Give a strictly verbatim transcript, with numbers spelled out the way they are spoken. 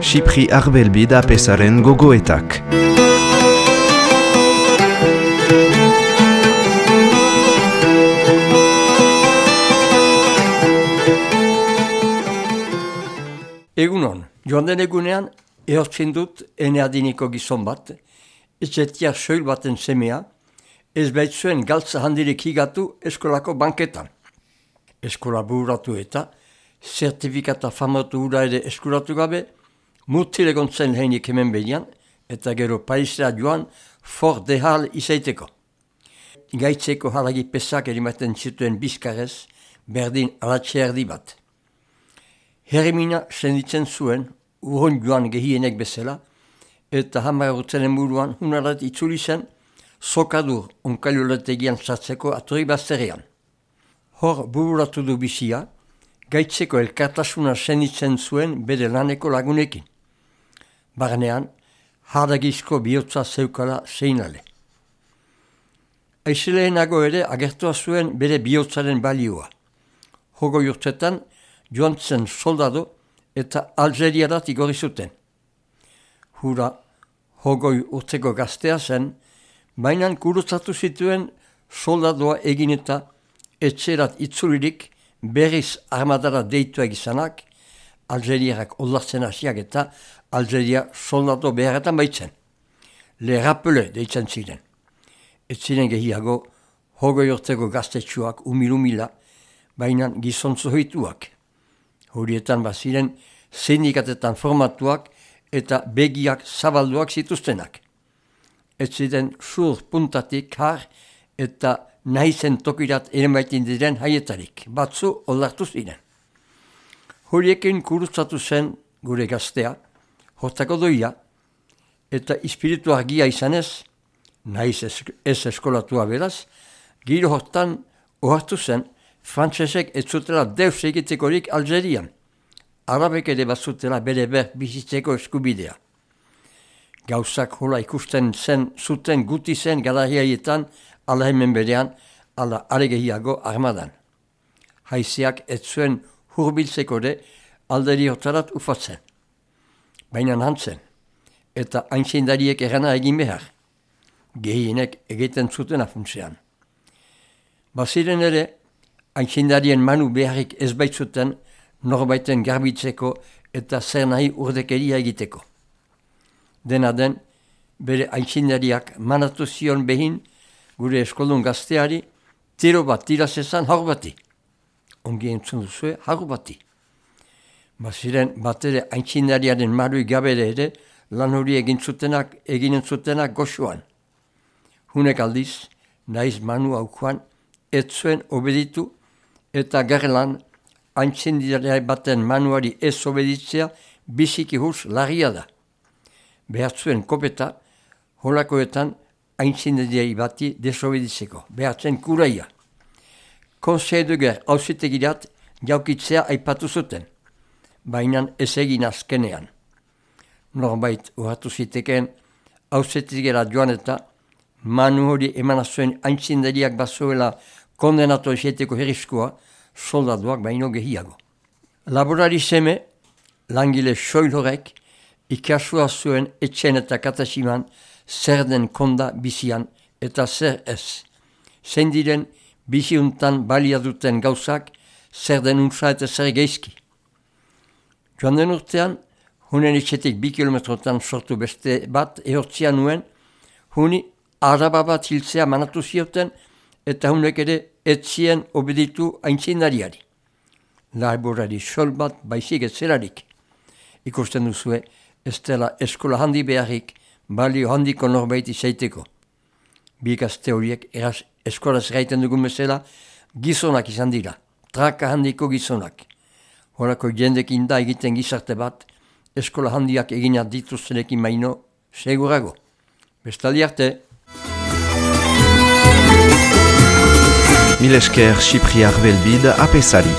Xipri Arbelbid apesaren gogoetak. Egunon, joan den egunean, ehortzen dut ene adineko gizon bat, etxetia soil baten semea, ez baitzuen galtza handirek higatu eskolako banketan. Eskola bururatu eta, zertifikata famatu hura ere eskuratu gabe, mutil egon zen heinik hemen behian, eta gero paisera joan for dehal izaiteko. Gaitzeko halagi pesak erimaten zituen bizkarrez, berdin alatxe erdi bat. Herrimina senditzen zuen, urron joan gehienek bezala, eta hamar urtenen buruan hunarat itzuli zen, sokadur onkailoletegian sartzeko atori bazterrean. Hor bururatu du bizia, gaitzeko elkartasuna senditzen zuen bere laneko lagunekin. Barnean, hardagizko bihotza zeukala zeinale. Aizeleenago ere agertua zuen bere bihotzaren balioa. Hogoi urtetan, joan zen soldado eta Algeriarat igorri zuten. Hura, hogoi urteko gaztea zen, bainan kurutzatu zituen soldadoa egin eta etxerat itzulirik berriz armadara deitua izanak, Algeriarak oldartzen hasiak eta Algeria soldado beharretan baitzen. Le rappele deitzen ziren. Ez ziren gehiago, hogoi urteko gaztetxuak umil-umila, bainan gizontzu hoituak. Horietan baziren sindikatetan formatuak eta begiak zabalduak zituztenak. Ez ziren sur puntatik har eta nahizen tokirat ere baitin diren haietarik, batzu oldartu ziren. Horiekin kurutzatu zen gure gaztea, hortako doia, eta espiritu argia izanez, nahiz ez eskolatua beraz, giro hortan ohartu zen, frantsesek ez zutela deus egitekorik Algerian. Arabek ere bazutela bere ber bizitzeko eskubidea. Gauzak hola ikusten zen zuten guti zen garaiaietan, ala hemen berean, ala aregehiago armadan. Haizeak ez zuen hurbiltzeko ere alderi hortarat ufatzen. Baina hantzen, eta aintzindariek erana egin behar. Gehienek egiten zuten afuntzean. Baziren ere, aintzindarien manu beharrik ez baitzuten norbaiten garbitzeko eta zer nahi urdekeria egiteko. Dena den, bere aintzindariak manatu zion behin gure eskoldun gazteari tiro bat tirazezan haur bati. Ongi entzun duzue haur bati. Baziren bat ere aintzindariaren marui gabere ere lan hori egin zutenak, eginen zutenak goxuan. Hunek aldiz, naiz manu haukoan, ez zuen obeditu eta gerlan aintzindari baten manuari ez obeditzea biziki hurs larria da. Behartzuen kopeta, holakoetan aintzindari bati desobeditzeko, behartzen kuraia. Conseil de guerre auzitegirat jaukitzea aipatu zuten, bainan ez egin azkenean. Norbait urratu ziteken auzitegera joan eta manu hori eman zuen aintzindariak bazuela kondenatu ezeteko herrizkoa, soldaduak baino gehiago. Laborari seme, langile soil horrek, ikasua zuen etxen eta katasiman zer den konda bizian eta zer ez. Zein diren biziuntan balia duten gauzak, zer den untza eta zer geizki. Joan den urtean, hunen etxetik bi kilometrotan sortu beste bat ehortzia nuen, huni araba bat hiltzea manatu zioten, eta hunek ere etzien obeditu aintzindariari. Laborari sol bat baizik ez zelarik. Ikusten duzue, ez dela eskola handi beharrik, balio handiko norbait izaiteko. Bi gazte horiek eraz eskolaz gaiten dugun bezala, gizonak izan dira, traka handiko gizonak. Horako jendekin da egiten gizarte bat, eskola handiak eginak dituztenekin maino, segurago. Bestaldi arte. Mil esker Xipri Arbelbid apesari.